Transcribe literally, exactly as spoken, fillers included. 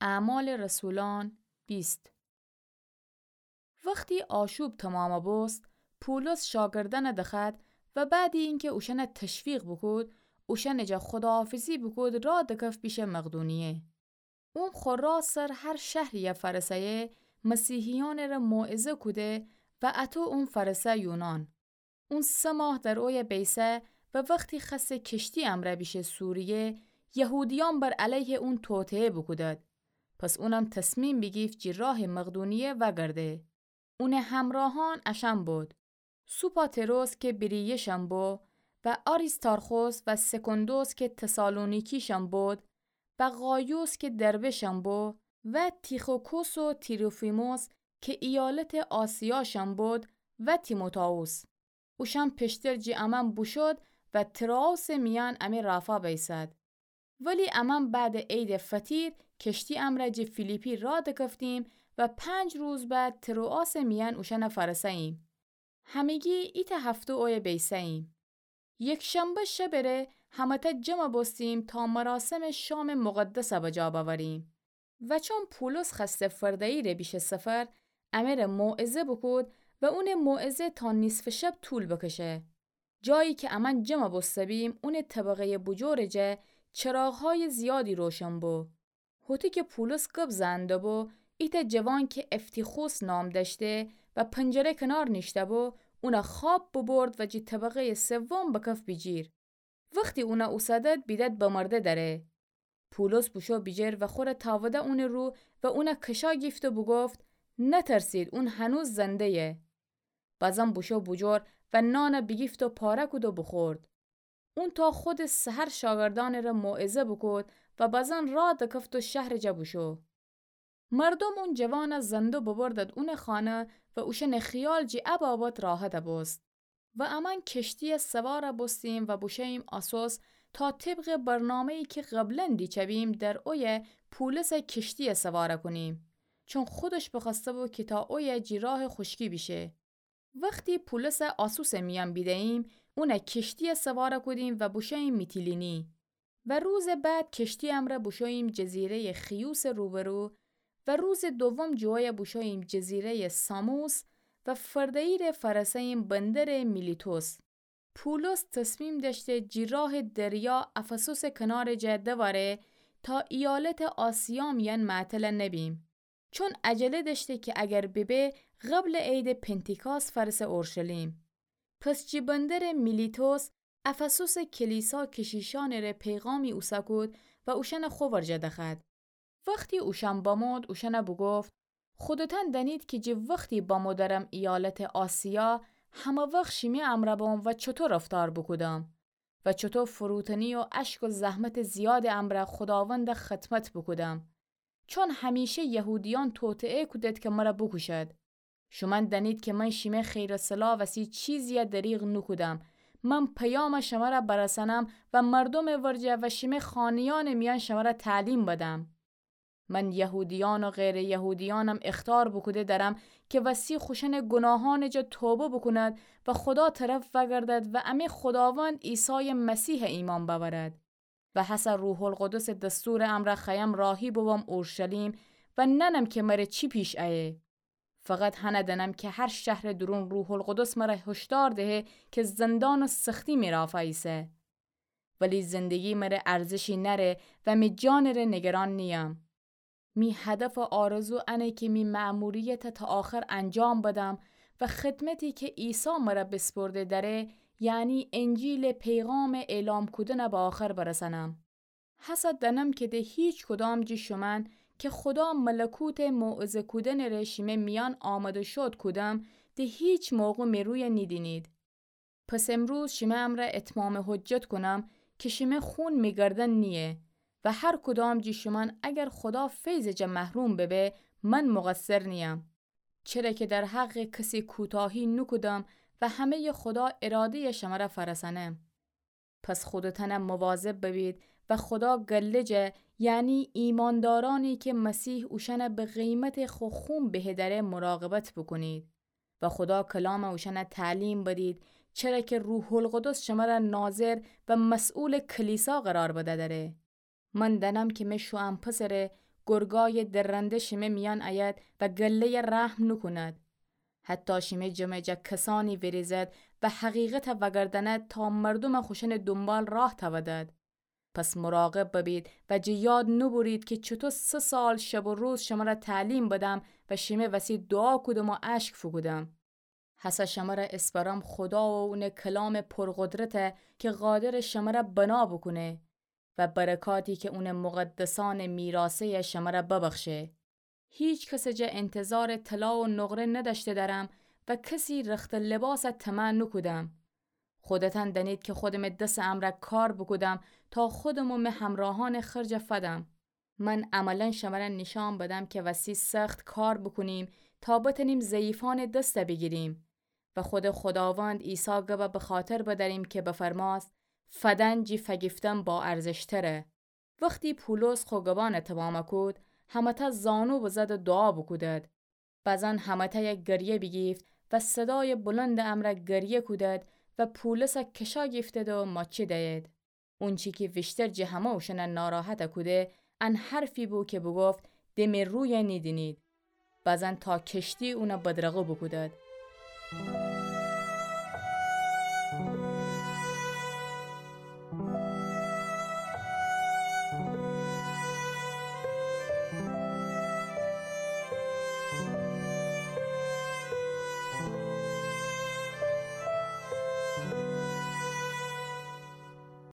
اعمال رسولان بیست. وختی آشوب تومامَ بوست، پولس شاگردأنَ دخوأد و بعدی اینکه اوشأنَ تشویق بوکود، اوشأنٚ جا خداحافظی بوکود، راه دکفت بیشه مقدونیه. اون خو راه سر هر شهری‌یَ فأرسه‌یه، مسیحیأنٚره موعظه کوده و اَطو اون فأرسه یونان. اون سه ماه در اویه بیسه و وختی خوأسته کشتی امرأ بیشه سوریه، یهودیأن بر علیه اون توطئه بوکودد. پس اونم تصمیم بیگیفت جی راه مقدونیه وأگرده. اونٚ همراهأن اشأن بود: سوپاتروس که بیریه‌شأن بو و آریستارخوس و سکندوس که تسالونیکی‌شأن بود و غایوس که دربه‌شأن بو و تیخیکوس و تروفیموس که ایالتٚ آسیاشأن بود و تیموتائوس. اوشأن پیشتر جی امأن بوشود و تروآسٚ میأن امه رافا بیسد. ولی امأن بعدٚ عیدٚ فطیر کشتی امرأ جی فیلیپی راه دکفتیم و پنج روز بعد تروآسٚ میأن اوشأنَ فأرسه‌ییم. همگی ایتأ هفته اویه بیسه‌ییم. یکشنبه شبٚ ره همه‌تأ جمع بوستیم تا مراسمٚ شامٚ مقدسَ بجا بأوریم. و چون پولس خوأسته فرده‌یی ره بیشه سفر، امره موعظه بوکود و اونٚ موعظه تا نیصفٚ شب طول بکشه. جایی که امأن جمع بوسته بیم، اونٚ طبقه‌یٚ بوجورٚ جا چراغ‌هایٚ زیادی روشن بو. هوطو که پولس گب زنده بو، ایتأ جوان که افتیخوس نام دأشته و پنجره کنار نیشته بو، اونَ خواب ببرد و جی طبقه‌یٚ سوم بکف بیجیر. وختی اونَ اوسدد، بیدد بمرده دأره. پولس بوشو بیجیر و خوره تأوده اونٚ رو و اونَ کشا گیفت و بوگفت: نترسید، اون هنوز زنده‌یه. بازم بوشو بوجور و نانَ بیگیفت و پاره کود و بوخورد. اون تا خودٚ سحر شاگردأنٚره موعظه بوکود و بازم راه دکفت و شهرٚ جا بوشو. مردوم اون جوانَ زنده ببردد اونٚ خانه و اوشأنٚ خیال جی ا بابت راحت بوست. و امأن کشتی‌یٚ سوار بوستیم و بوشوییم آسوس تا طبقٚ برنامه‌یی که قبلاً دیچه بیم در اویه پولسَ کشتی‌یٚ سوار کونیم، چون خودش بخوأسته بو که تا اویه جی راه خوشکی بیشه. وختی پولسَ آسوسٚ میأن بیده‌ییم، اونَ کشتی‌یٚ سوار کودیم و بوشوییم میتیلینی. و روزٚ بعد کشتی امرأ بوشوییم جزیره‌یٚ خیوسٚ روبرو و روزٚ دوم جویه بوشوییم جزیره‌یٚ ساموس و فرده‌یی ره فأرسه‌ییم بندرٚ میلیتوس. پولس تصمیم دأشته جی راه دریا افسوسٚ کنارٚ جا دواره تا ایالتٚ آسیا میأن معطل نبیم. چون عجله دأشته که اگر ببه قبلٚ عیدٚ پنتیکاس فأرسه اورشلیم. پس جی بندرٚ میلیتوس افسوسٚ کلیسا کشیشأنٚ ره پیغامی اوسه کود و اوشأنَ خو ورجه دخوأد. وختی اوشأن بمود، اوشأنَ بوگفت: خودتأن دأنید که جی وختی بمو درم ایالتٚ آسیا، همه وخت شیمی امرأ بوم و چوطو رفتار بوکودم و چوطو فروتنی و اشک و زحمتٚ زیادٚ امرأ خوداوندَ خدمت بوکودم. چون همیشه یهودیأن توطئه کودد که مرَ بوکوشد. شومأن دأنید که من شیمه خیر و صلاح وسی چیزی‌یَ دریغ نوکودم. من پیامَ شمرَ برسانم و مردومٚ ورجه و شیمه خانه‌یأنٚ میأن شمرَ تعلیم بدم. من یهودیأن و غیرٚ یهودیأنم اخطار بوکوده درم که وسی خوشأنٚ گوناهأنٚ جا توبه بوکوند و خودا طرف وأگردد و امه خوداوند عیسایٚ مسیحَ ایمأن بأورد. و هسه روح‌القدسٚ دستورٚ امرأ خوأیم راهی ببم اورشلیم و نأنم که مره چی پیش ایه. فقط هنَ دأنم که هر شهرٚ دورون روح‌القدس مره هشدار دهه که زندان و سختی می رافا ایسه. ولی زندگی مره ارزشی نأره و می جانٚ ره نگران نییم. می هدف و آرزو انه که می مأموریتَ تا آخر انجام بدم و خدمتی که عیسی مره بیسپرده دأره، یعنی انجیلٚ پیغامٚ اعلام کودنَ به آخر برسأنم. هسه دأنم که د هیچ کدام جٚه شومأن که خودا ملکوتٚ موعظه کودنٚ ره شیمه میأن آماده شود کودم، د هیچ موقع می رویَ نیدینید. پس امروز شیمه امرأ اتمامٚ حجت کونم که شیمه خون می گردن نییه و هر کدام جٚه شومأن اگر خودا فیضٚ جا محروم ببه، من مقصر نییم. چره که در حقٚ کسی کوتاهی نوکودم و همه‌یٚ خودا اراده‌یَ شمرَ فرسأنم. پس خودتأن مواظب ببید و خودا گله جا، یعنی ایماندارأنی که مسیح اوشأنَ به قیمتٚ خو خون بهه دأره، مراقبت بوکونید. و خودا کلامَ اوشأنَ تعلیم بدید، چره که روح‌القدس شمرَ ناظر و مسئولٚ کلیسا قرار بده دأره. من دأنم که مه شوئن پسرَ گرگایٚ درنده شیمه میأن ایید و گله‌یَ رحم نوکوند. حتی شیمه جمع جا کسأنی ویریزد و حقیقتَ وگرداند تا مردومَ خوشأنٚ دونبال راه تأودد. پس مراقب ببید و جٚه یاد نوبورید کی چوطو سه سال شب و روز شمرَ تعلیم بدم و شیمه وسی دوعا کودم و اشک فوکودم. هسه شمرَ اسپرم خودا و اونٚ کلامٚ پرقدرتَ کی قادرٚ شمرَ بنا بوکونه و برکاتی کی اونٚ مقدسأنٚ میراثه‌یَ شمرَ ببخشه. هیکسٚ جا انتظارٚ طلا و نقره ندأشته دأرم و کسی رختٚ لباسَ طمع نوکودم. خودتأن دأنید کی خودمٚ دسٚ امرأ کار بوکودم تا خودم و مه همراهأنٚ خرجَ فدم. من عملاً شمرَ نیشأن بدم کی وسی سخت کار بوکونیم تا بتأنیم ضعیفأنٚ دستَ بیگیریم و خودٚ خوداوند عیسی گبَ بخاطر بدأریم کی بفرمأست: فدن جی فگیفتن با ارزشتره. وختی پولس خو گبأنَ تومامَ کود، همه‌تأ زانو بزد و دوعا بوکودد. بزن همه‌تأیَ گریه بیگیفت و صدایٚ بلندٚ امرأ گریه کودد و پولسَ کشا گیفتد و ماچی دأید. اونچی کی ویشتر جٚه همه اوشأنَ ناراحتَ کوده، ان حرفی بو کی بوگفت: د می رویَ نیدینید. بزن تا کشتی اونَ بدرقه بوکودد.